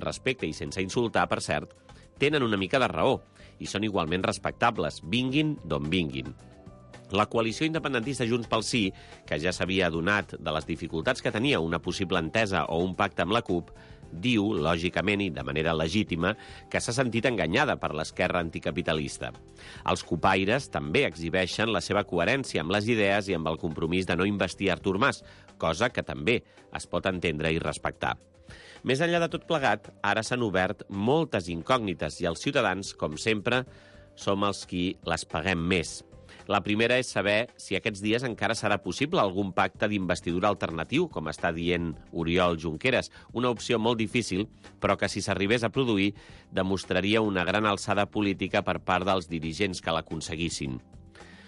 respecte i sense insultar, per cert, tenen una mica de raó i són igualment respectables, vinguin d'on vinguin. La coalició independentista Junts pel Sí, que ja s'havia adonat de les dificultats que tenia una possible entesa o un pacte amb la CUP, diu, lògicament i de manera legítima, que s'ha sentit enganyada per l'esquerra anticapitalista. Els cupaires també exhibeixen la seva coherència amb les idees i amb el compromís de no investir Artur Mas, cosa que també es pot entendre i respectar. Més enllà de tot plegat, ara s'han obert moltes incògnites i els ciutadans, com sempre, som els qui les paguem més. La primera és saber si aquests dies encara serà possible algun pacte d'investidura alternatiu, com està dient Oriol Junqueras, una opció molt difícil, però que si s'arribés a produir demostraria una gran alçada política per part dels dirigents que l'aconseguissin.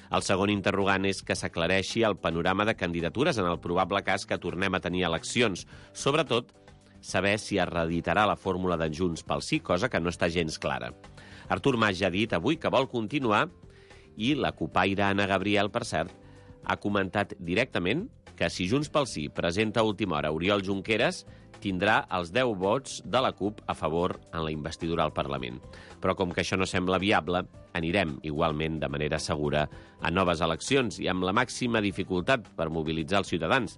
El segon interrogant és que s'aclareixi el panorama de candidatures en el probable cas que tornem a tenir eleccions, sobretot saber si es reeditarà la fórmula de Junts pel Sí, cosa que no està gens clara. Artur Mas ja ha dit avui que vol continuar i la cupaire Anna Gabriel, per cert, ha comentat directament que si Junts pel Sí presenta a última hora Oriol Junqueras, tindrà els 10 vots de la CUP a favor en la investidura al Parlament. Però com que això no sembla viable, anirem igualment de manera segura a noves eleccions i amb la màxima dificultat per mobilitzar els ciutadans,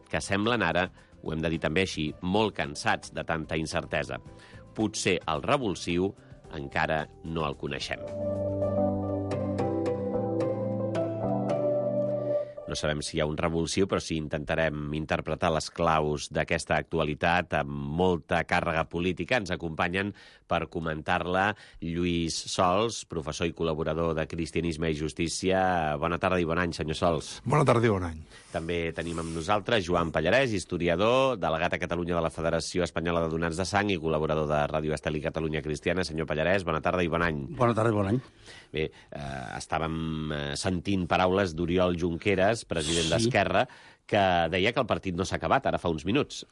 que semblen ara, ho hem de dir també així, molt cansats de tanta incertesa. Potser el revulsiu encara no el coneixem. No sabem si hi ha un revulsiu, però sí intentarem interpretar les claus d'aquesta actualitat amb molta càrrega política. Ens acompanyen per comentar-la Lluís Sols, professor i col·laborador de Cristianisme i Justícia. Bona tarda i bon any, senyor Sols. Bona tarda i bon any. També tenim amb nosaltres Joan Pallarès, historiador, delegat a Catalunya de la Federació Espanyola de Donants de Sang i col·laborador de Ràdio Estel i Catalunya Cristiana. Senyor Pallarès, bona tarda i bon any. Bona tarda i bon any. Bé, estàvem sentint paraules d'Oriol Junqueras, president d'Esquerra, que deia que el partit no s'ha acabat, ara fa uns minuts.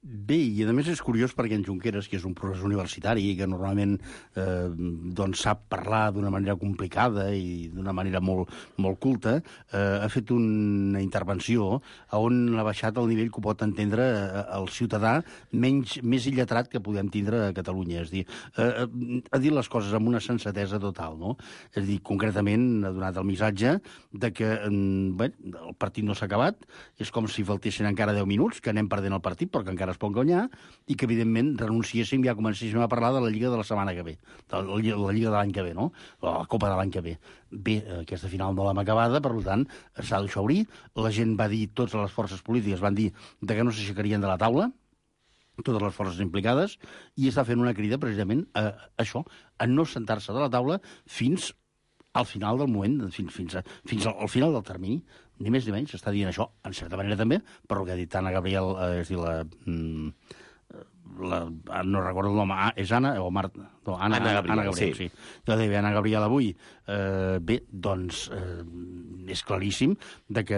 Bé, i a més és curiós perquè en Junqueras, que és un professor universitari i que normalment doncs sap parlar d'una manera complicada i d'una manera molt culta, ha fet una intervenció on ha baixat el nivell que pot entendre el ciutadà més illetrat que podem tindre a Catalunya. És a dir, ha dit les coses amb una sensatesa total, no? És a dir, concretament ha donat el missatge de que el partit no s'ha acabat, és com si faltessin encara 10 minuts, que anem perdent el partit, però que encara es pot guanyar, i que, evidentment, renunciéssim i ja comencéssim a parlar de la Lliga de la setmana que ve, de la Lliga de l'any que ve, no? La Copa de l'any que ve. Bé, aquesta final no l'hem acabada, per tant, s'ha de deixar obrir. La gent va dir, totes les forces polítiques van dir que no s'aixecarien de la taula, totes les forces implicades, i està fent una crida, precisament, a això, a no sentar-se de la taula fins al final del moment, fins al final del termini, ni més ni menys, està dient això, en certa manera també, per el que ha dit Anna Gabriel, és a dir, no recordo el nom, és Anna o Marta? No, Anna Gabriel, sí. Jo deia Anna Gabriel avui. Bé, doncs és claríssim de que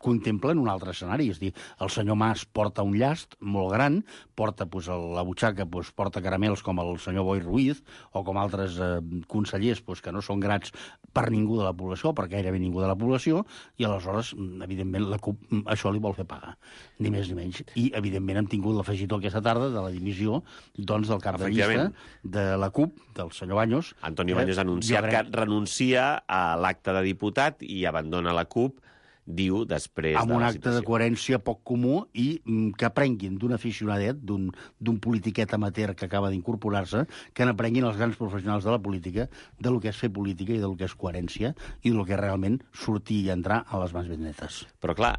contemplen un altre escenari, és a dir, el senyor Mas porta un llast molt gran, porta a la butxaca, porta caramels com el senyor Boi Ruiz o com altres consellers que no són grats per ningú de la població, per gairebé ningú de la població, i aleshores, evidentment, la CUP això li vol fer pagar, ni més ni menys. I, evidentment, hem tingut l'afegitó aquesta tarda de la dimissió del cap de llista de la CUP, del senyor Baños. Antonio Baños ha anunciat que renuncia a l'acte de diputat i abandona la CUP, diu, després amb de la situació. Amb un acte de coherència poc comú i que aprenguin d'un aficionadet, d'un politiquet amateur que acaba d'incorporar-se, que n'aprenguin els grans professionals de la política del que és fer política i del que és coherència i del que és realment sortir i entrar a les mans ben netes. Però clar,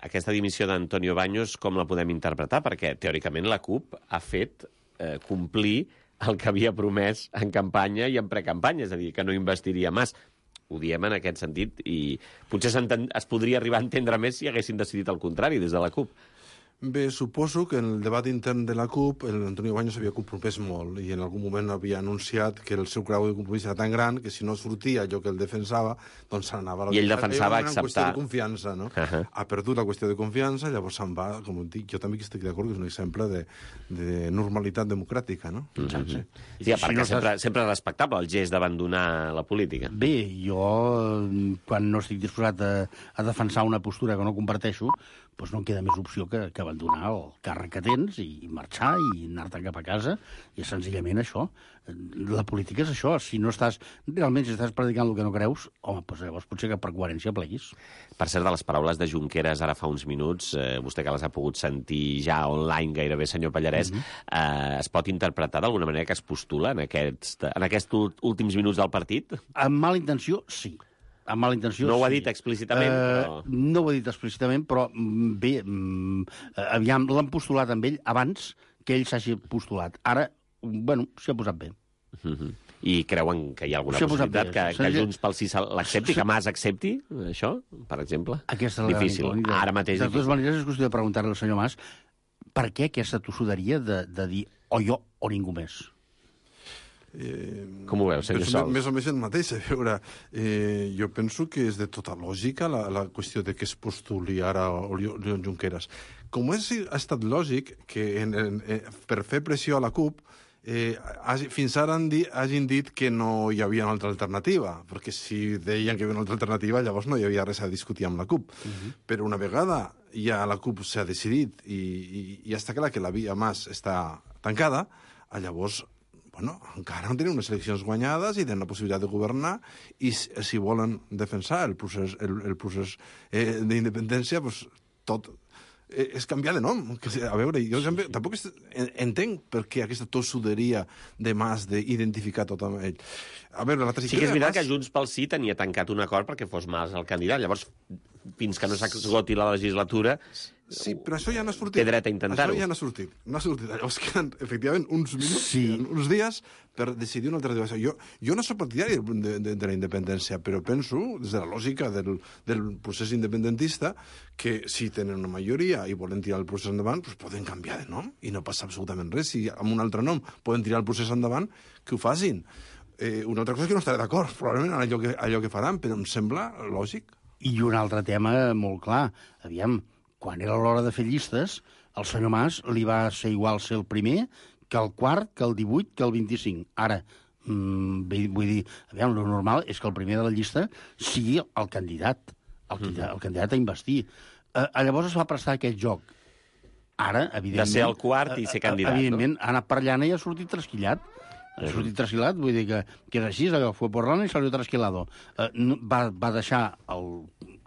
aquesta dimissió d'Antonio Baños com la podem interpretar? Perquè teòricament la CUP ha fet complir el que havia promès en campanya i en precampanya, és a dir, que no investiria Mas. Ho diem en aquest sentit i potser es podria arribar a entendre més si haguessin decidit el contrari des de la CUP. Bé, suposo que en el debat intern de la CUP l'Antonio Baños havia compromès molt i en algun moment havia anunciat que el seu grau de compromís era tan gran que si no sortia allò que ell defensava, doncs se n'anava. I ell defensava acceptar... Una qüestió de confiança, no? Ha perdut la qüestió de confiança, llavors se'n va, com dic, jo també estic d'acord que és un exemple de normalitat democràtica, no? Sí, a part que sempre és respectable el gest d'abandonar la política. Bé, jo, quan no estic disposat a defensar una postura que no comparteixo, doncs no en queda més opció que abandonar el càrrec que tens i marxar i anar-te'n cap a casa, i és senzillament això. La política és això. Si no estàs, realment, si estàs predicant el que no creus, home, doncs llavors potser que per coherència pleguis. Per cert, de les paraules de Junqueras ara fa uns minuts, vostè que les ha pogut sentir ja online gairebé, senyor Pallarès, es pot interpretar d'alguna manera que es postula en aquests últims minuts del partit? Amb mala intenció, sí. Amb mala intenció, no ho ha sí. dit explícitament, però... No ho ha dit explícitament, però bé, aviam, l'han postulat amb ell abans que ell s'hagi postulat. Ara, bueno, s'hi ha posat bé. I creuen que hi ha alguna possibilitat que Junts pel Sí l'accepti, que Mas accepti això, per exemple? Aquesta és la difícil. Ara mateix de totes maneres, és qüestió de preguntar-li al senyor Mas per què aquesta tossuderia de dir o jo o ningú més. Com ho veu, senyor Sols? Més o més el mateix. A veure, jo penso que és de tota lògica la qüestió de que es postuli ara Oriol Junqueras. Com ha estat lògic que per fer pressió a la CUP fins ara hagin dit que no hi havia una altra alternativa, perquè si deien que hi havia una altra alternativa, llavors no hi havia res a discutir amb la CUP. Però una vegada ja la CUP s'ha decidit i està clar que la via Mas està tancada, llavors encara no tenen unes eleccions guanyades i tenen la possibilitat de governar, i si volen defensar el procés d'independència, doncs tot és canviar de nom. A veure, jo tampoc entenc per què aquesta tossuderia de Mas d'identificar tot amb ell. A veure, sí que és veritat que Junts pel Sí tenia tancat un acord perquè fos Mas el candidat. Llavors, fins que no s'esgoti la legislatura... Sí, però això ja no ha sortit. Té dret a intentar-ho. Això ja no ha sortit. No ha sortit. Llavors queden, efectivament, uns minuts, uns dies per decidir una alternativa. Jo no soc partidari de la independència, però penso, des de la lògica del procés independentista, que si tenen una majoria i volen tirar el procés endavant, doncs poden canviar de nom i no passa absolutament res. Si amb un altre nom poden tirar el procés endavant, que ho facin. Una altra cosa és que no estaré d'acord, probablement, en allò que faran, però em sembla lògic. I un altre tema molt clar. Aviam, quan era l'hora de fer llistes, el senyor Mas li va ser igual ser el primer que el quart, que el 18, que el 25. Ara, vull dir, aviam, el normal és que el primer de la llista sigui el candidat, el candidat a investir. Llavors es va prestar aquest joc. Ara, evidentment... De ser el quart i ser candidat, evidentment, ha anat per llana i ha sortit trasquillat. Ha sortit trasquilat, vull dir que és així, allò, fue por lana i salió trasquilado. Va deixar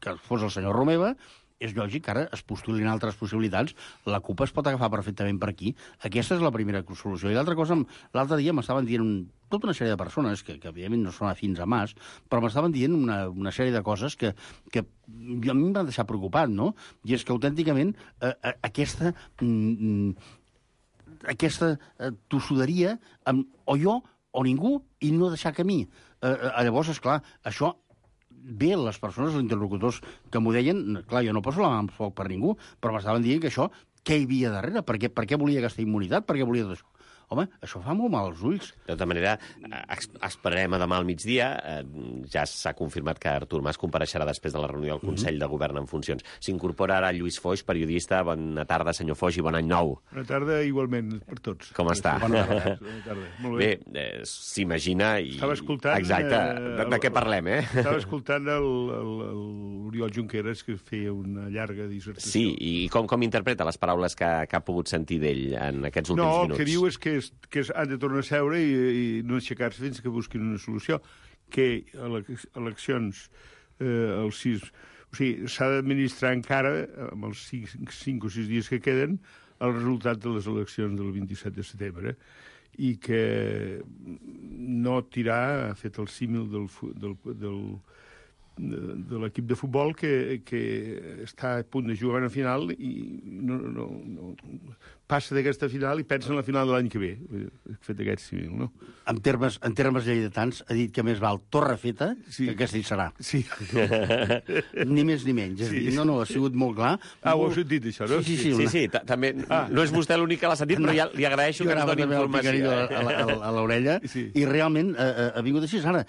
que fos el senyor Romeva. És lògic que ara es postulin altres possibilitats. La CUP es pot agafar perfectament per aquí. Aquesta és la primera solució. I l'altra cosa, l'altre dia m'estaven dient tota una sèrie de persones, que evidentment no són afins a Mas, però m'estaven dient una sèrie de coses que a mi em van deixar preocupat, no? I és que autènticament aquesta tossuderia amb o jo o ningú i no deixar camí. Llavors, esclar, això... Bé, les persones, els interlocutors que m'ho deien, clar, jo no poso la mà en foc per ningú, però m'estaven dient que això, què hi havia darrere? Per què volia aquesta immunitat? Per què volia tot això? Home, això fa molt mal als ulls. De tota manera, esperarem a demà al migdia. Ja s'ha confirmat que Artur Mas compareixerà després de la reunió del Consell de Govern en funcions. S'incorpora ara Lluís Foix, periodista. Bona tarda, senyor Foix, i bon any nou. Bona tarda, igualment, per tots. Com està? Bona tarda. Molt bé. Bé, s'imagina... Estava escoltant... Exacte. De què parlem, Estava escoltant l'Oriol Junqueras, que feia una llarga dissertació. Sí, i com interpreta les paraules que ha pogut sentir d'ell en aquests últims minuts? No, el que diu és que han de tornar a seure i no aixecar-se fins que busquin una solució, que eleccions el 6... O sigui, s'ha d'administrar encara, amb els 5 o 6 dies que queden, el resultat de les eleccions del 27 de setembre, i que no tirar, ha fet el símil de l'equip de futbol que està a punt de jugar a final i no passa d'aquesta final i pensa en la final de l'any que ve. He fet aquest civil, no? En termes lleidatans, ha dit que més val torre feta que aquesta hi serà. Sí. Ni més ni menys. Sí. No, ha sigut molt clar. Ho heu sentit, això, no? Sí, també. No és vostè l'únic que l'ha sentit, però ja li agraeixo que ens doni informació. A l'orella, i realment ha vingut així. Ara,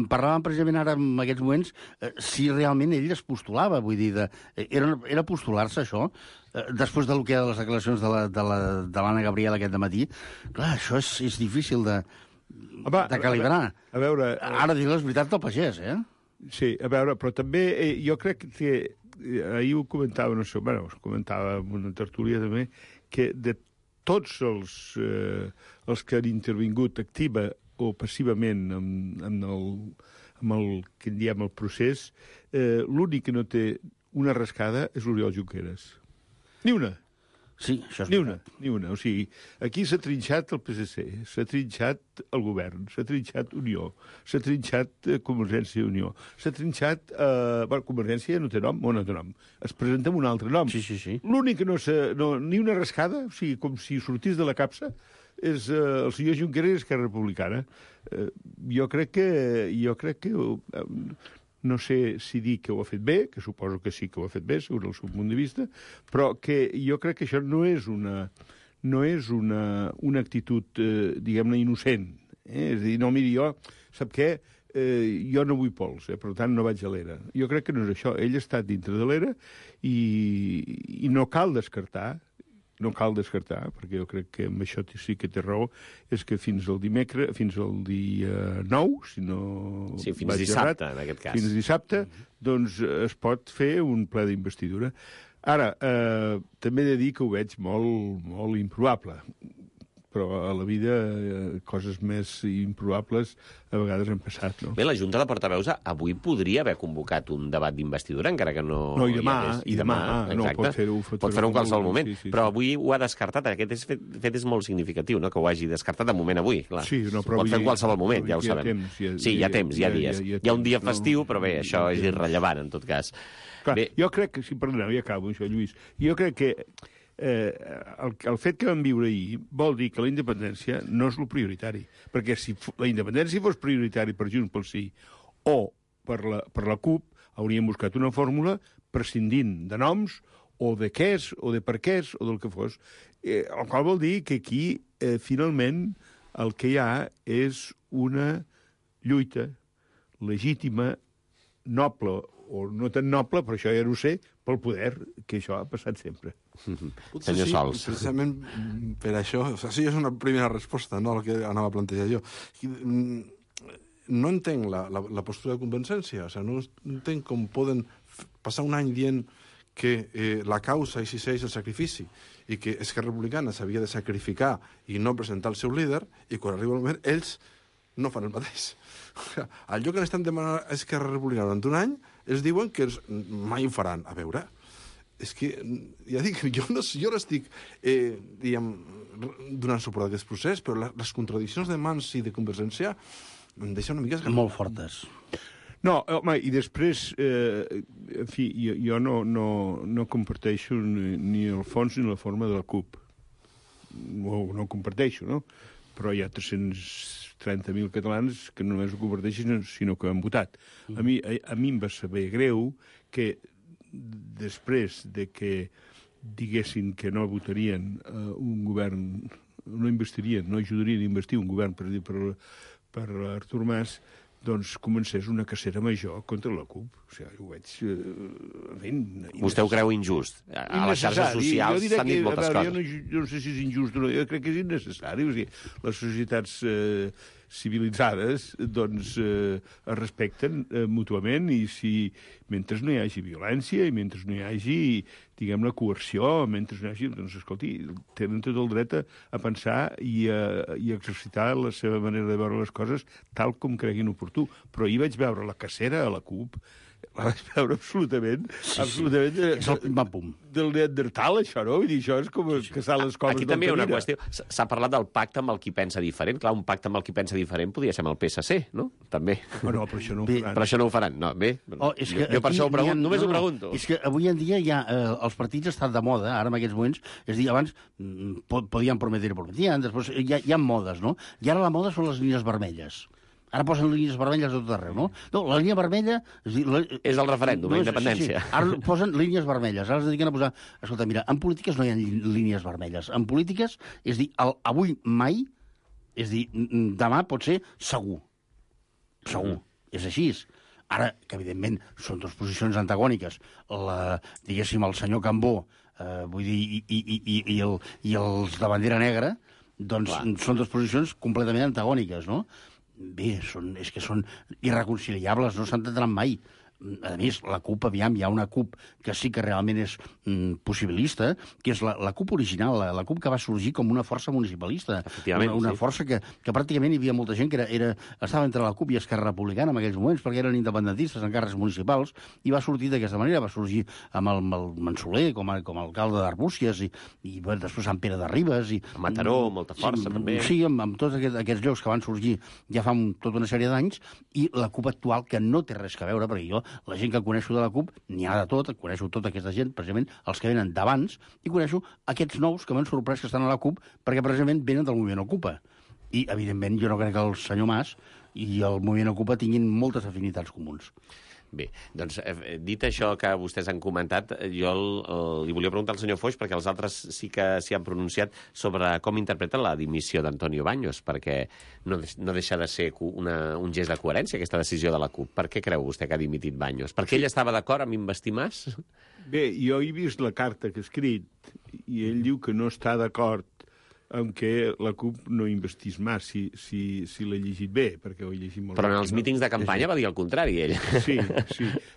parlàvem precisament ara en aquests moments si realment ell es postulava, vull dir, era postular-se això, després del que eren les declaracions de l'Anna Gabriel aquest dematí. Clar, això és difícil de calibrar. A veure... Ara dir la veritat del pagès, Sí, a veure, però també jo crec que ahir ho comentava, no sé, bueno, ho comentava en una tertúlia també, que de tots els que han intervingut activa o passivament amb el que en diem el procés, l'únic que no té una rascada és l'Oriol Junqueras. Ni una. Sí, això és Ni una. O sigui, aquí s'ha trinxat el PSC, s'ha trinxat el govern, s'ha trinxat Unió, s'ha trinxat Convergència i Unió, s'ha trinxat... Convergència no té nom, o no té nom. Es presenta amb un altre nom. Sí. L'únic que ni una rascada, o sigui, com si sortís de la capsa, és el senyor Junqueras i Esquerra Republicana. Jo crec que no sé si dir que ho ha fet bé, que suposo que sí que ho ha fet bé, segons el seu punt de vista, però que jo crec que això no és una actitud, diguem-ne, innocent. És a dir, no, miri, sap què? Jo no vull pols, per tant no vaig a l'era. Jo crec que no és això. Ell ha estat dintre de l'era i no cal descartar, perquè jo crec que amb això sí que té raó, és que fins al dia 9, si no... Sí, fins dissabte, en aquest cas. Fins dissabte, doncs es pot fer un ple d'investidura. Ara, també he de dir que ho veig molt, molt improbable, però a la vida coses més improbables a vegades han passat, no? Bé, la Junta de Portaveus avui podria haver convocat un debat d'investidura, encara que no... No, i demà, exacte. no, pot fer-ho en qualsevol moment, sí. Però avui ho ha descartat. Aquest fet és molt significatiu, no?, que ho hagi descartat de moment avui, clar. Sí, no, però pot fer en qualsevol moment, ja ho sabem. Hi ha temps, hi ha dies. Hi ha un dia festiu, però bé, això és irrellevant, en tot cas. Clar, jo crec que, si perdoneu, ja acabo això, Lluís, jo crec que el fet que vam viure ahir vol dir que la independència no és el prioritari, perquè si la independència fos prioritari per Junts pel Sí o per la CUP, hauríem buscat una fórmula prescindint de noms o de quès o de per quès o del que fos, el qual vol dir que aquí finalment el que hi ha és una lluita legítima, noble o no tan noble, però això ja no ho sé, pel poder, que això ha passat sempre. Senyor Sols. Precisament per això, això és una primera resposta, no?, al que anava a plantejar jo. No entenc la postura de convencència, no entenc com poden passar un any dient que la causa exigeix el sacrifici i que Esquerra Republicana s'havia de sacrificar i no presentar el seu líder, i quan arriba el moment ells no fan el mateix. Allò que l'estan demanant a Esquerra Republicana durant un any, ells diuen que mai ho faran. A veure, és que, ja dic, jo no estic donant suport a aquest procés, però les contradiccions de Mans i de Convergència em deixen una mica esgarrapat. Molt fortes. No, home, i després, en fi, jo no comparteixo ni el fons ni la forma de la CUP. No ho comparteixo, no? Però hi ha 330.000 catalans que no només ho comparteixen, sinó que han votat. A mi em va saber greu que després de que diguessin que no votarien un govern, no investirien, no ajudarien a investir un govern per Artur Mas, doncs comencés una cacera major contra la CUP. O sigui, ho veig... Vostè ho creu injust? A les xarxes socials s'han dit moltes coses. Jo no sé si és injust o no, jo crec que és innecessari. O sigui, les societats civilitzades doncs es respecten mútuament i si mentre no hi hagi violència i mentre no hi hagi, diguem, la coerció, mentre no hi hagi, doncs, escolti, tenen tot el dret a pensar i a exercitar la seva manera de veure les coses tal com creguin oportú. Però ahir vaig veure la cacera a la CUP, la vaig veure absolutament... És el pim-pam-pum. Del Neandertal, això, no? Vull dir, això és com caçar les coves. Aquí també hi ha una qüestió. S'ha parlat del pacte amb el qui pensa diferent. Clar, un pacte amb el qui pensa diferent podria ser amb el PSC, no? També. No, però això no ho faran. Però això no ho faran, no? Bé, jo per això ho pregunto, només ho pregunto. És que avui en dia ja els partits estan de moda, ara en aquests moments, és a dir, abans podien prometre, després hi ha modes, no? I ara la moda són les línies vermelles. Ara posen línies vermelles a tot arreu, no? No, la línia vermella... És el referèndum, la independència. Sí. Ara posen línies vermelles, ara es dediquen a posar... Escolta, mira, en polítiques no hi ha línies vermelles. En polítiques, és dir, avui mai, és dir, demà pot ser segur. Segur. És així. Ara, que evidentment són dues posicions antagòniques. Diguéssim, el senyor Cambó, vull dir, i els de bandera negra, doncs són dues posicions completament antagòniques, no? Bé, és que són irreconciliables, no s'entendran mai. a més, la CUP, aviam, hi ha una CUP que sí que realment és possibilista, que és la CUP original, la CUP que va sorgir com una força municipalista. Una força que pràcticament hi havia molta gent que estava entre la CUP i Esquerra Republicana en aquells moments, perquè eren independentistes en càrrecs municipals, i va sortir d'aquesta manera, va sorgir amb el Mansoler com a alcalde d'Arbúcies, i després Sant Pere de Ribes. A Mataró, molta força, també. Sí, amb tots aquests llocs que van sorgir ja fa tota una sèrie d'anys, i la CUP actual, que no té res a veure, perquè jo, la gent que coneixo de la CUP, n'hi ha de tot, coneixo tota aquesta gent, precisament els que venen d'abans, i coneixo aquests nous que m'han sorprès que estan a la CUP, perquè precisament venen del moviment Ocupa. I, evidentment, jo no crec que el senyor Mas i el moviment Ocupa tinguin moltes afinitats comuns. Bé, doncs, dit això que vostès han comentat, jo li volia preguntar al senyor Foix, perquè els altres sí que s'hi han pronunciat sobre com interpreten la dimissió d'Antonio Baños, perquè no deixa de ser un gest de coherència, aquesta decisió de la CUP. Per què creu vostè que ha dimitit Baños? Perquè ell estava d'acord amb investir Mas? Bé, jo he vist la carta que ha escrit, i ell diu que no està d'acord amb què la CUP no investiís Mas, si l'he llegit bé, perquè ho he llegit molt. Però en els mítings de campanya va dir el contrari, ell. Sí.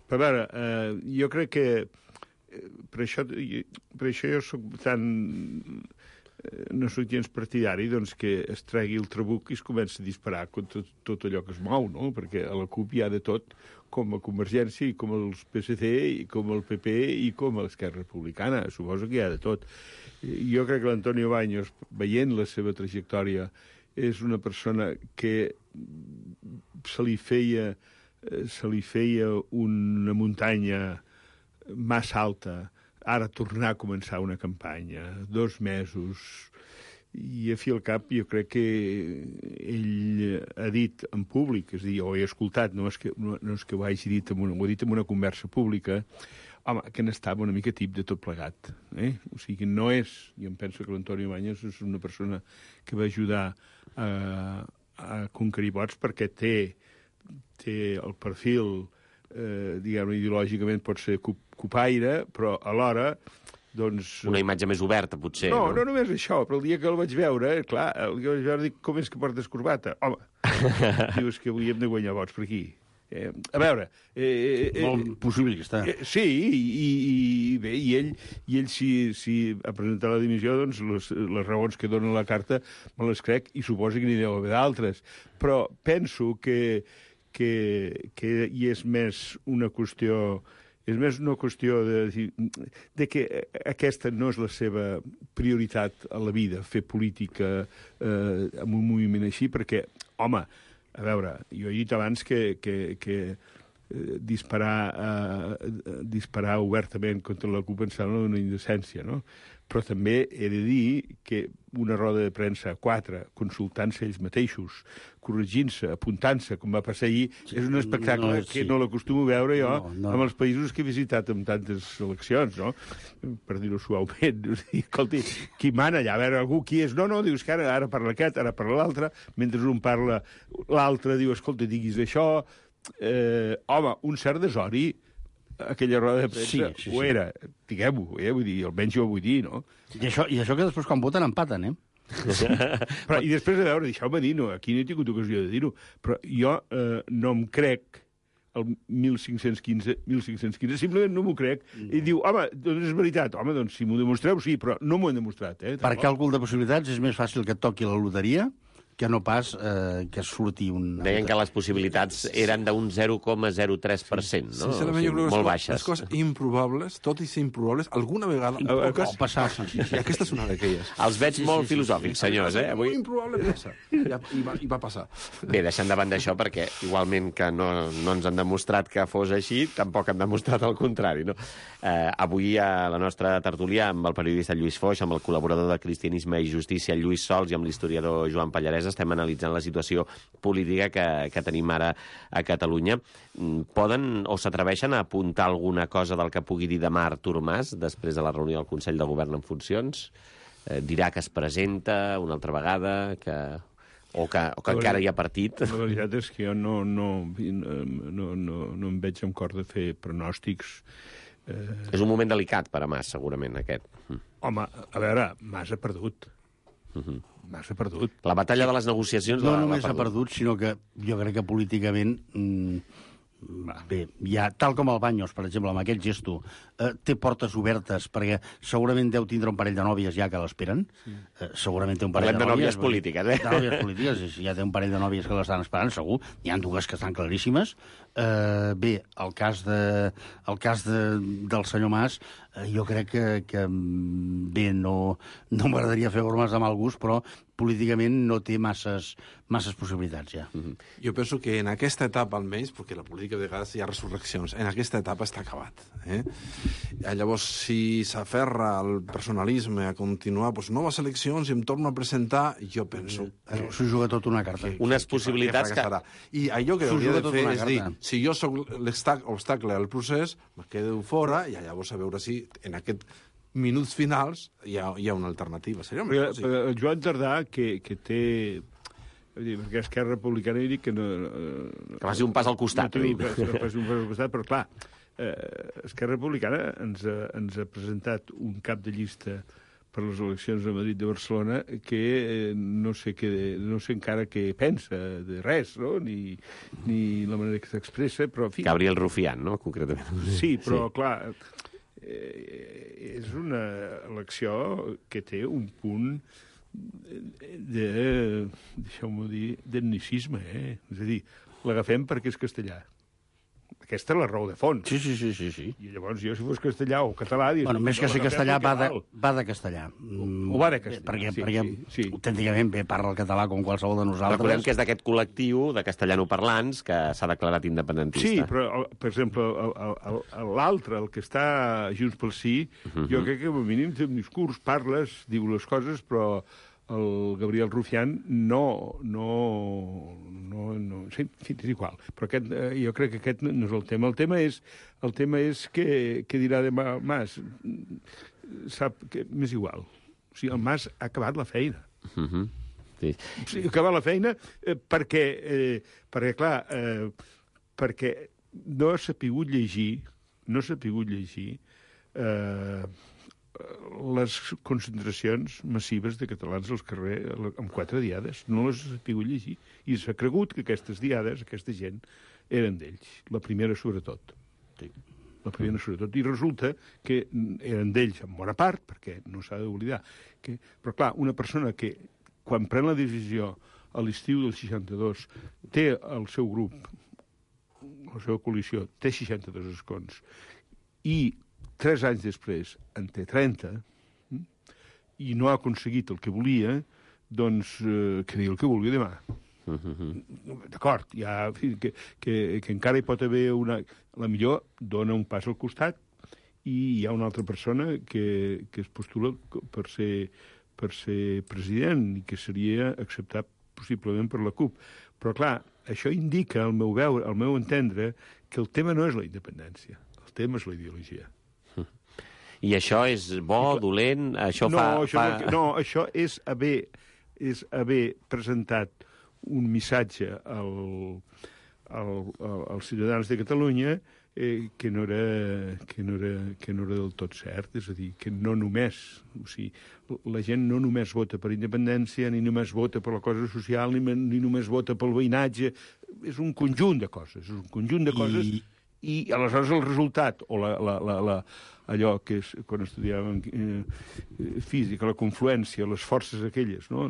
Però a veure, jo crec que per això jo soc tan... no soc gens partidari, doncs, que es tregui el trabuc i es comença a disparar contra tot allò que es mou, no? Perquè a la CUP hi ha de tot, com a Convergència, i com els PSC, i com el PP, i com a l'Esquerra Republicana. Suposo que hi ha de tot. Jo crec que l'Antonio Baños, veient la seva trajectòria, és una persona que se li feia una muntanya massa alta, ara tornar a començar una campanya, 2 mesos, i a fi al cap jo crec que ell ha dit en públic, és a dir, ho he escoltat, no és que ho hagi dit, ho ha dit en una conversa pública, home, que n'estava una mica tip de tot plegat. O sigui, no és... Jo em penso que l'Antonio Baños és una persona que va ajudar a conquerir vots perquè té el perfil, diguem-ne, ideològicament pot ser copaire, però alhora, doncs... Una imatge més oberta, potser. No només això, però el dia que el vaig veure, clar, dic, com és que portes corbata? Home, dius que avui hem de guanyar vots per aquí. A veure... Molt possibilista. Sí, i bé, i ell si ha presentat la dimissió, doncs les raons que dona la carta me les crec, i suposo que n'hi deu haver d'altres. Però penso que hi és més una qüestió... És més una qüestió de que aquesta no és la seva prioritat a la vida, fer política amb un moviment així, perquè, home, a veure, jo he dit abans que disparar obertament contra la CUP em sembla una indecència, no? Però també he de dir que una roda de premsa, 4, consultant-se ells mateixos, corregint-se, apuntant-se, com va passar ahir, és un espectacle que no l'acostumo a veure jo amb els països que he visitat amb tantes eleccions, no? Per dir-ho suaument. Escolti, qui mana allà? A veure, algú qui és? No, dius que ara parla aquest, ara parla l'altre, mentre un parla, l'altre diu, escolta, diguis això... home, un cert desori, aquella roda de premsa, sí. Ho era, diguem-ho, vull dir, almenys jo ho vull dir, no? I això que després quan voten empaten, Però, i després, a veure, deixeu-me dir, no, aquí no he tingut ocasió de dir-ho, però jo no em crec el 1515, simplement no m'ho crec, i diu, home, doncs és veritat, doncs si m'ho demostreu, sí, però no m'ho han demostrat, Per càlcul de possibilitats és més fàcil que et toqui la loteria que no pas que surti un... Deien que les possibilitats eren d'un 0,03%, no? Sincerament, jo crec que molt baixes. Les coses improbables, tot i ser improbables, alguna vegada... Pot passar. I aquesta és una d'aquelles. Els veig molt filosòfics, senyors, Avui... Improbable passa. I va passar. Bé, deixant davant d'això, perquè igualment que no ens han demostrat que fos així, tampoc han demostrat el contrari, no? Avui a la nostra tertúlia amb el periodista Lluís Foix, amb el col·laborador de Cristianisme i Justícia Lluís Sols i amb l'historiador Joan Pallarès estem analitzant la situació política que tenim ara a Catalunya. Poden o s'atreveixen a apuntar alguna cosa del que pugui dir demà Artur Mas després de la reunió del Consell de Govern en funcions? Dirà que es presenta una altra vegada, o que encara hi ha partit? La veritat és que jo no em veig amb cor de fer pronòstics. És un moment delicat per a Mas, segurament, aquest. Home, a veure, Mas ha perdut. Mas ha perdut. La batalla de les negociacions no només ha perdut, sinó que jo crec que políticament Bé, ja, tal com el Baños, per exemple, amb aquest gesto, té portes obertes, perquè segurament deu tindre un parell de nòvies ja que l'esperen. Segurament té un parell Parlem de nòvies polítiques, De nòvies polítiques, ja té un parell de nòvies que l'estan esperant, segur. N'hi ha dues que estan claríssimes. Bé, el cas del senyor Mas, jo crec que bé, no m'agradaria fer bromes de mal gust, però políticament no té masses possibilitats, ja. Jo penso que en aquesta etapa, almenys, perquè la política de vegades hi ha resurreccions, en aquesta etapa està acabat. Llavors, si s'aferra al personalisme a continuar noves eleccions i em torno a presentar, jo penso S'ho juga tot una carta. Unes possibilitats que... I allò que S'ho hauria juga de tot fer una és dir, carta. si jo sóc l'obstacle al procés, me quedo fora i llavors a veure si en aquests minuts finals hi ha una alternativa. Seria una cosa. El Joan Tardà, que té... Perquè Esquerra Republicana dic que no... Que faci un pas al costat. No, que faci un pas al costat, però clar, Esquerra Republicana ens ha presentat un cap de llista per les eleccions a Madrid de Barcelona que no sé encara què pensa de res, no? Ni la manera que s'expressa, però... En fi, Gabriel Rufián, no?, concretament. sí, però clar, és una elecció que té un punt deixeu-m'ho dir, d'etnicisme, És a dir, l'agafem perquè és castellà. Aquesta és la raó de fons. Sí. I llavors jo, si fos castellà o català... Bueno, més que ser castellà, va de castellà. O va de castellà, Perquè sí. autènticament bé parla el català com qualsevol de nosaltres. Recordem que és d'aquest col·lectiu de castellanoparlants que s'ha declarat independentista. Sí, però, per exemple, l'altre, el que està a Junts pel Sí, jo crec que, com a mínim, té un discurs, parles, diu les coses, però el Gabriel Rufián sí, és igual. Però jo crec que aquest no és el tema. El tema és que dirà de Mas. Sap que m'és igual. O sigui, el Mas ha acabat la feina. Sí. Sí, ha acabat la feina perquè no s'ha pogut llegir les concentracions massives de catalans als carrers en 4 diades. No les ha pogut llegir. I s'ha cregut que aquestes diades, aquesta gent, eren d'ells. La primera, sobretot. La primera, sobretot. I resulta que eren d'ells en bona part, perquè no s'ha d'oblidar. Però, clar, una persona que, quan pren la decisió a l'estiu del 62, té el seu grup, la seva coalició, té 62 escons, i 3 anys després en té 30 i no ha aconseguit el que volia, doncs que digui el que vulgui demà. D'acord, que encara hi pot haver la millor dona un pas al costat i hi ha una altra persona que es postula per ser president i que seria acceptat possiblement per la CUP. Però, clar, això indica, al meu entendre, que el tema no és la independència, el tema és la ideologia. I això és bo, dolent? Això això és haver presentat un missatge als ciutadans de Catalunya que no era del tot cert. És a dir, que no només... O sigui, la gent no només vota per independència, ni només vota per la cosa social, ni només vota pel veïnatge. És un conjunt de coses. I aleshores el resultat, o allò que és, quan estudiàvem física, la confluència, les forces aquelles, no?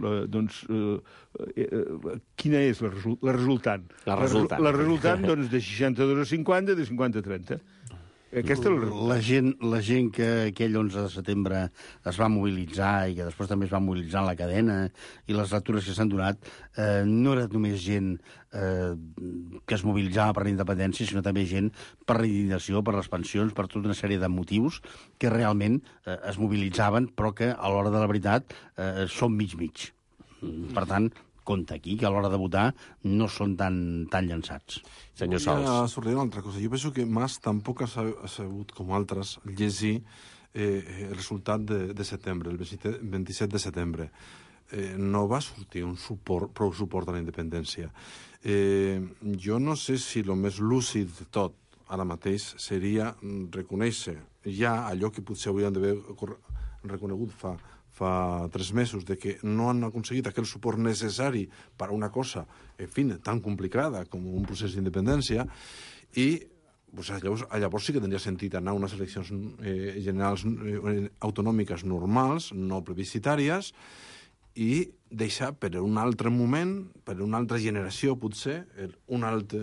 Quina és la resultant? La resultant, doncs, de 62 a 50, de 50 a 30. Aquesta és la gent que aquell 11 de setembre es va mobilitzar i que després també es va mobilitzar en la cadena i les lectures que s'han donat no era només gent que es mobilitzava per la independència, sinó també gent per la indignació, per les pensions, per tota una sèrie de motius que realment es mobilitzaven, però que a l'hora de la veritat són mig-mig. Per tant, compte aquí, que a l'hora de votar no són tan llançats. Senyor Sols. Ja sortiré una altra cosa. Jo penso que Mas tampoc ha sabut, com altres, llegir el resultat de setembre, el 27 de setembre. No va sortir prou suport a la independència. Jo no sé si el més lúcid de tot ara mateix seria reconèixer ja allò que potser haurien d'haver reconegut fa fa 3 mesos de que no han aconseguit aquell suport necessari per a una cosa, en fi, tan complicada com un procés d'independència, i pues, llavors sí que tindria sentit anar a unes eleccions generals autonòmiques normals, no plebiscitàries, i deixar per un altre moment, per una altra generació, potser, un altre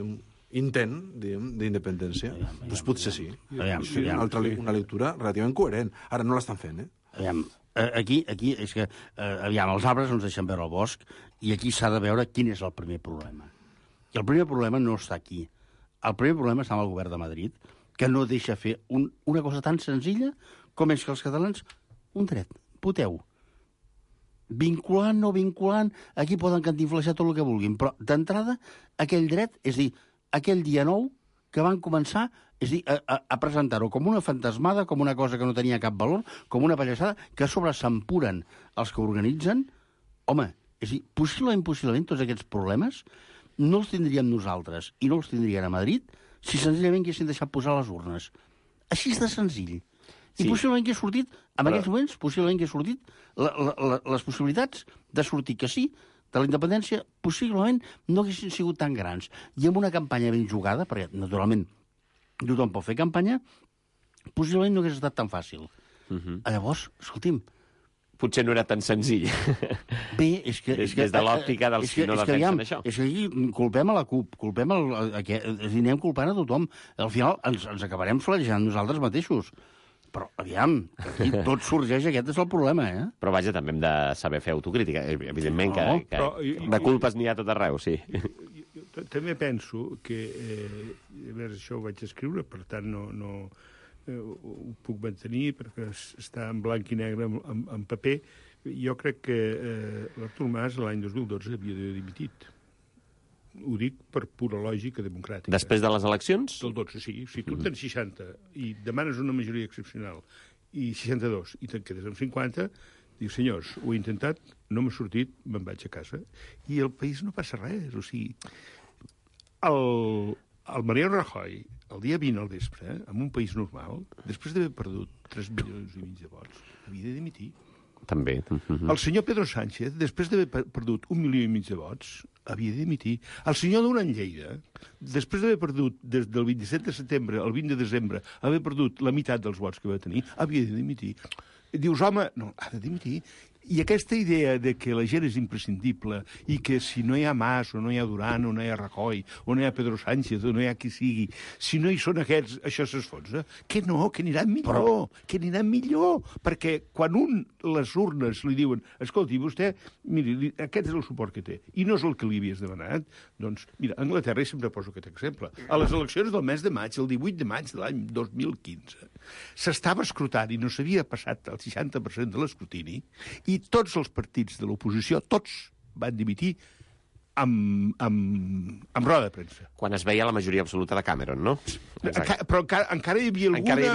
intent d'independència. Doncs potser sí. Una lectura relativament coherent. Ara no l'estan fent, Aquí és que, els arbres no ens deixen veure el bosc, i aquí s'ha de veure quin és el primer problema. I el primer problema no està aquí. El primer problema està amb el govern de Madrid, que no deixa fer una cosa tan senzilla com és que els catalans, un dret, voteu. Vinculant, no vinculant, aquí poden cantinflejar tot el que vulguin, però d'entrada aquell dret, és dir, aquell dia 9 que van començar, és dir, a presentar-ho com una fantasmada, com una cosa que no tenia cap valor, com una pallassada, que a sobre s'empuren els que organitzen. Home, és dir, possiblement tots aquests problemes no els tindríem nosaltres i no els tindrien a Madrid si senzillament haguessin deixat posar les urnes. Així de senzill. I possiblement que ha sortit, en aquests moments, possiblement que ha sortit les possibilitats de sortir que sí, de la independència, possiblement no haguessin sigut tan grans. I amb una campanya ben jugada, perquè, naturalment, tothom pot fer campanya, possiblement no hagués estat tan fàcil. Llavors, escolti'm... Potser no era tan senzill. Bé, és que... Des de l'òptica dels que no defensen això. És que aquí culpem a la CUP, anem culpant a tothom. Al final ens acabarem flagejant nosaltres mateixos. Però, aviam, aquí tot sorgeix, aquest és el problema, Però vaja, també hem de saber fer autocrítica. Evidentment que de culpes n'hi ha tot arreu, sí. Jo també penso que... A veure, això ho vaig escriure, per tant no ho puc mantenir, perquè està en blanc i negre en paper. Jo crec que l'Artur Mas l'any 2012 havia d'haver dimitit. Ho dic per pura lògica democràtica. Després de les eleccions? Del 12, sí. Si tu tens 60 i demanes una majoria excepcional i 62 i te'n quedes amb 50, dius, senyors, ho he intentat, no m'ha sortit, me'n vaig a casa. I el país no passa res. O sigui, el Mariano Rajoy, el dia 20 al vespre, en un país normal, després d'haver perdut 3 milions i mig de vots, havia de dimitir. També. El senyor Pedro Sánchez, després d'haver perdut 1,5 milió de vots, havia de dimitir. El senyor Duran Lleida, després d'haver perdut des del 27 de setembre al 20 de desembre, haver perdut la meitat dels vots que va tenir, havia de dimitir. Dius, home, no, ha de dimitir. I aquesta idea de que la gent és imprescindible i que si no hi ha Mas, o no hi ha Duran, o no hi ha Rajoy, o no hi ha Pedro Sánchez, o no hi ha qui sigui, si no hi són aquests, això s'esfonsa. Que no, que aniran millor, que aniran millor. Perquè quan les urnes li diuen, escolti, vostè, miri, aquest és el suport que té, i no és el que li havies demanat, doncs, mira, a Anglaterra, i sempre poso aquest exemple, a les eleccions del mes de maig, el 18 de maig de l'any 2015, s'estava escrutant i no s'havia passat el 60% de l'escrutini, i tots els partits de l'oposició, tots van dimitir amb roda de premsa. Quan es veia la majoria absoluta de Cameron, no? Però encara hi havia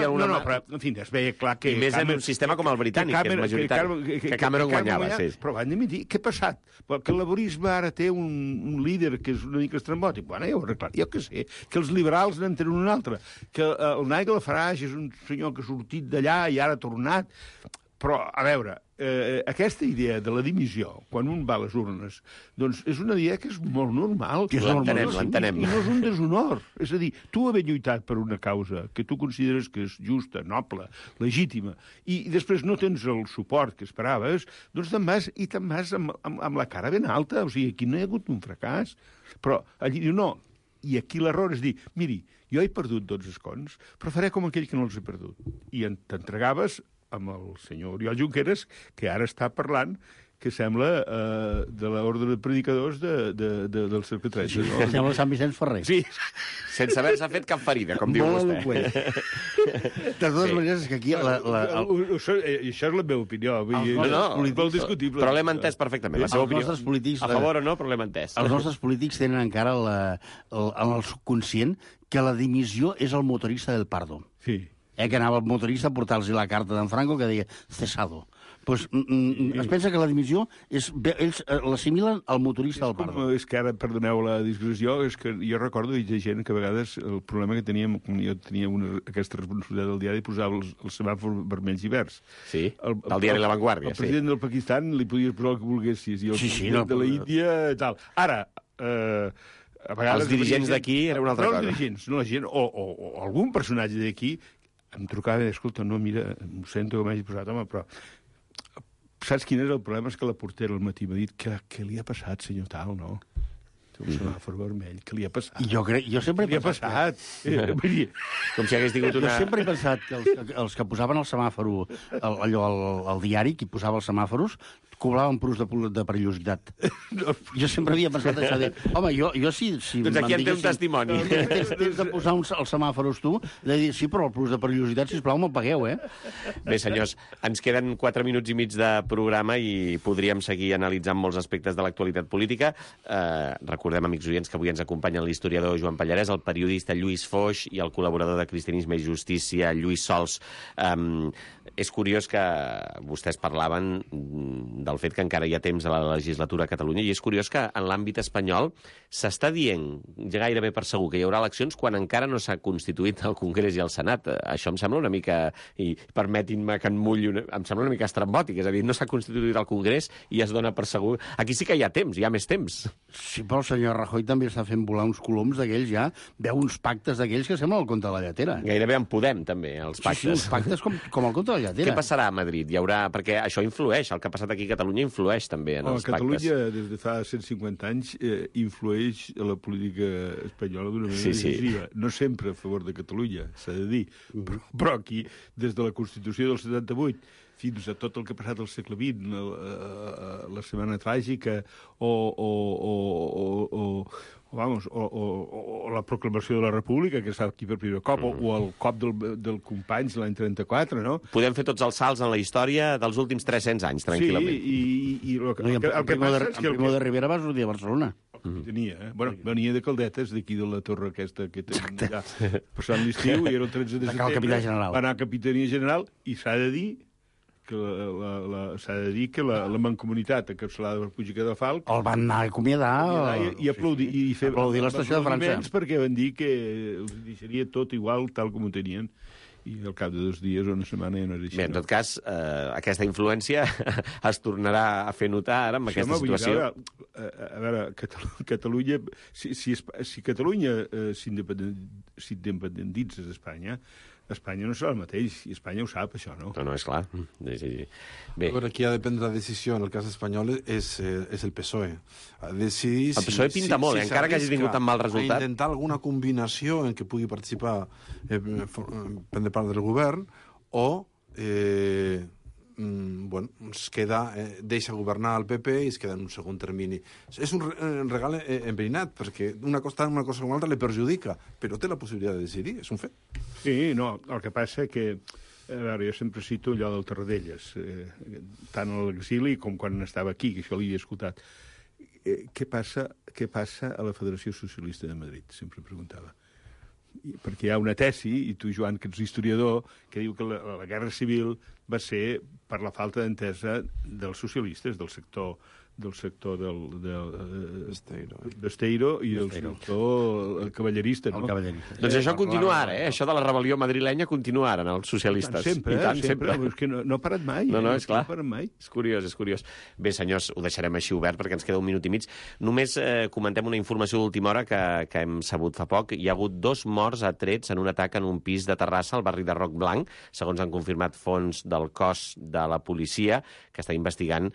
alguna... No, però, en fi, es veia clar que... I més en un sistema com el britànic, que és majoritari, que Cameron guanyava, sí. Però van dimitir. Què ha passat? Que el laborisme ara té un líder que és una mica estrambòtic. Bueno, ja ho he arreglat. Jo què sé, que els liberals n'en tenen un altre, que el Nigel Farage és un senyor que ha sortit d'allà i ara ha tornat. Però, a veure, aquesta idea de la dimissió, quan un va a les urnes, doncs és una idea que és molt normal. L'entenem. I no és un deshonor. És a dir, tu haver lluitat per una causa que tu consideres que és justa, noble, legítima, i després no tens el suport que esperaves, doncs te'n vas amb la cara ben alta. O sigui, aquí no hi ha hagut un fracàs. Però allí diu, no, i aquí l'error és dir, miri, jo he perdut 12 escons, però faré com aquell que no els he perdut. I t'entregaves amb el senyor Oriol Junqueras, que ara està parlant, que sembla de l'ordre de predicadors del cercle 13. No? Sembla Sant Vicenç Ferrer. Sí, sense haver-se fet cap ferida, com diu vostè. De totes maneres, és que aquí... Això és la meva opinió. Molt discutible. Però l'hem entès perfectament, la seva opinió. A favor o no, però l'hem entès. Els nostres polítics tenen encara en el subconscient que la dimissió és el motorista del Pardo. Sí. Que anava el motorista a portar-los la carta d'en Franco que deia cesado. pues, es pensa que la dimissió ells l'assimilen al motorista del Pardo. És que ara, perdoneu la discussió, és que jo recordo de gent que a vegades el problema que teníem, jo tenia aquesta responsabilitat del diari, posava els semàfors vermells i verds. Sí, del diari La Vanguardia. El president del Pakistan li podies posar el que volguessis, i el president de la Índia, tal. Ara, a vegades... Els dirigents d'aquí era una altra cosa. No els dirigents, no la gent, o algun personatge d'aquí em trucava i deia, escolta, no, mira, em sento que m'hagi posat, home, però... Saps quin és el problema? És que la portera al matí m'ha dit què li ha passat, senyor tal, no? Té un semàfor vermell, què li ha passat? Jo sempre he pensat... Com si hagués tingut una... Jo sempre he pensat que els que posaven el semàforo, al diari, qui posava els semàforos, cobraven plus de perillositat. Jo sempre havia pensat això de... Home, jo si doncs aquí en té un testimoni. Tens de posar els semàforos tu, de dir, sí, però el plus de perillositat, sisplau, me'l pagueu, eh? Bé, senyors, ens queden 4 minuts i mig de programa i podríem seguir analitzant molts aspectes de l'actualitat política. Recordem, amics oients, que avui ens acompanyen l'historiador Joan Pallarès, el periodista Lluís Foix i el col·laborador de Cristianisme i Justícia, Lluís Sols. És curiós que vostès parlaven del fet que encara hi ha temps a la legislatura a Catalunya, i és curiós que en l'àmbit espanyol s'està dient gairebé per segur que hi haurà eleccions quan encara no s'ha constituït el Congrés i el Senat. Això em sembla una mica, i permetin-me que em sembla una mica estrambòtic, és a dir, no s'ha constituït el Congrés i es dona per segur... Aquí sí que hi ha temps, hi ha més temps. Sí, però el senyor Rajoy també està fent volar uns coloms d'aquells ja, veu uns pactes d'aquells que semblen el conte de la lletera. Gairebé en Podem, també, els pactes. Sí, uns pactes com el conte de la lletera. Què passarà a Madrid? Hi haurà... Perquè això influeix, el que ha passat aquí a Catalunya influeix també en els pactes. Catalunya, des de fa 150 anys, influeix a la política espanyola d'una manera decisiva. No sempre a favor de Catalunya, s'ha de dir, però aquí, des de la Constitució del 78 fins a tot el que ha passat al segle XX, la Setmana Tràgica o la proclamació de la República, que està aquí per primer cop, o el cop del Companys l'any 34, no? Podem fer tots els salts en la història dels últims 300 anys, tranquil·lament. Sí, i el Primo de Rivera va sortir a Barcelona. Tenia, Bueno, venia de Caldetes, d'aquí de la torre aquesta que tenen allà, passant l'estiu, i era el 13 de setembre. Va anar a Capitania General, i s'ha de dir que la Mancomunitat, encapçalada per Puig i Cadafalch, el van anar a acomiadar i aplaudir l'estació de França, perquè van dir que els deixaria tot igual tal com ho tenien, i al cap de 2 dies o una setmana ja no era així. Bé, en tot cas, aquesta influència es tornarà a fer notar ara amb aquesta situació. A veure, Catalunya, si Catalunya s'independentitza d'Espanya, Espanya no serà el mateix, i Espanya ho sap, això, no? No, és clar. Sí. Bé. Però qui ha de prendre la decisió en el cas espanyol és el PSOE. Decidir el PSOE pinta molt, encara que hagi tingut tan mal resultat. Intentar alguna combinació en què pugui participar, prendre part del govern, o es queda, deixa governar el PP i es queda en un segon termini. És un regal enverinat, perquè una cosa com una altra li perjudica, però té la possibilitat de decidir, és un fet. Sí, no, el que passa que, a veure, jo sempre cito allò del Tarradellas, tant a l'exili com quan estava aquí, que això l'he escoltat. Què passa a la Federació Socialista de Madrid? Sempre preguntava. Perquè hi ha una tesi, i tu, Joan, que ets historiador, que diu que la Guerra Civil va ser per la falta d'entesa dels socialistes, del sector d'Esteiro i del sector cavallerista, no? Doncs això continua ara, això de la rebel·lió madrilenya continua ara en els socialistes. Sempre. És que no ha parat mai. No, és clar. No ha parat mai. És curiós. Bé, senyors, ho deixarem així obert perquè ens queda 1 minut i mig. Només comentem una informació d'última hora que hem sabut fa poc. Hi ha hagut 2 morts a trets en un atac en un pis de Terrassa, al barri de Roc Blanc, segons han confirmat fonts del cos de la policia, que està investigant,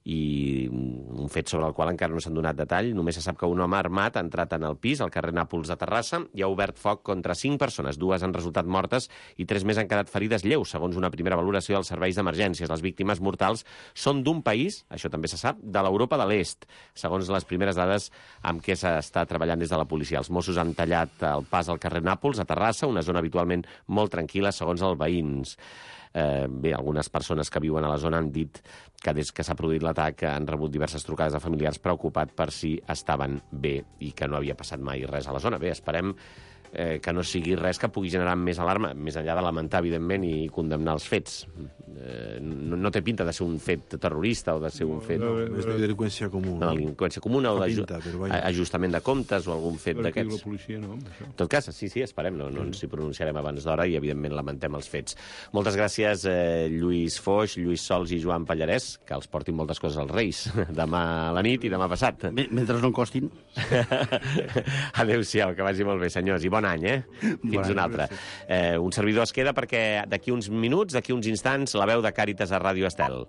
i un fet sobre el qual encara no s'han donat detall. Només se sap que un home armat ha entrat en el pis, al carrer Nàpols de Terrassa, i ha obert foc contra 5 persones. 2 han resultat mortes i 3 més han quedat ferides lleus, segons una primera valoració dels serveis d'emergències. Les víctimes mortals són d'un país, això també se sap, de l'Europa de l'Est, segons les primeres dades amb què s'està treballant des de la policia. Els Mossos han tallat el pas al carrer Nàpols, a Terrassa, una zona habitualment molt tranquil·la, segons els veïns. Bé, algunes persones que viuen a la zona han dit que des que s'ha produït l'atac han rebut diverses trucades de familiars preocupats per si estaven bé i que no havia passat mai res a la zona. Bé, esperem que no sigui res que pugui generar més alarma, més enllà de lamentar, evidentment, i condemnar els fets. No té pinta de ser un fet terrorista o de ser un fet... És de delinqüència comuna. De delinqüència comuna o d'ajustament de comptes o algun fet d'aquests. La policia no, això. En tot cas, sí, esperem, no ens hi pronunciarem abans d'hora i, evidentment, lamentem els fets. Moltes gràcies, Lluís Foix, Lluís Sols i Joan Pallarès, que els portin moltes coses als Reis, demà a la nit i demà passat. Mentre no en costin. Adéu-siau, que vagi molt bé, senyors, i bon any, Fins un altre. Un servidor es queda perquè d'aquí uns minuts, d'aquí uns instants, la veu de Càritas a Ràdio Estel.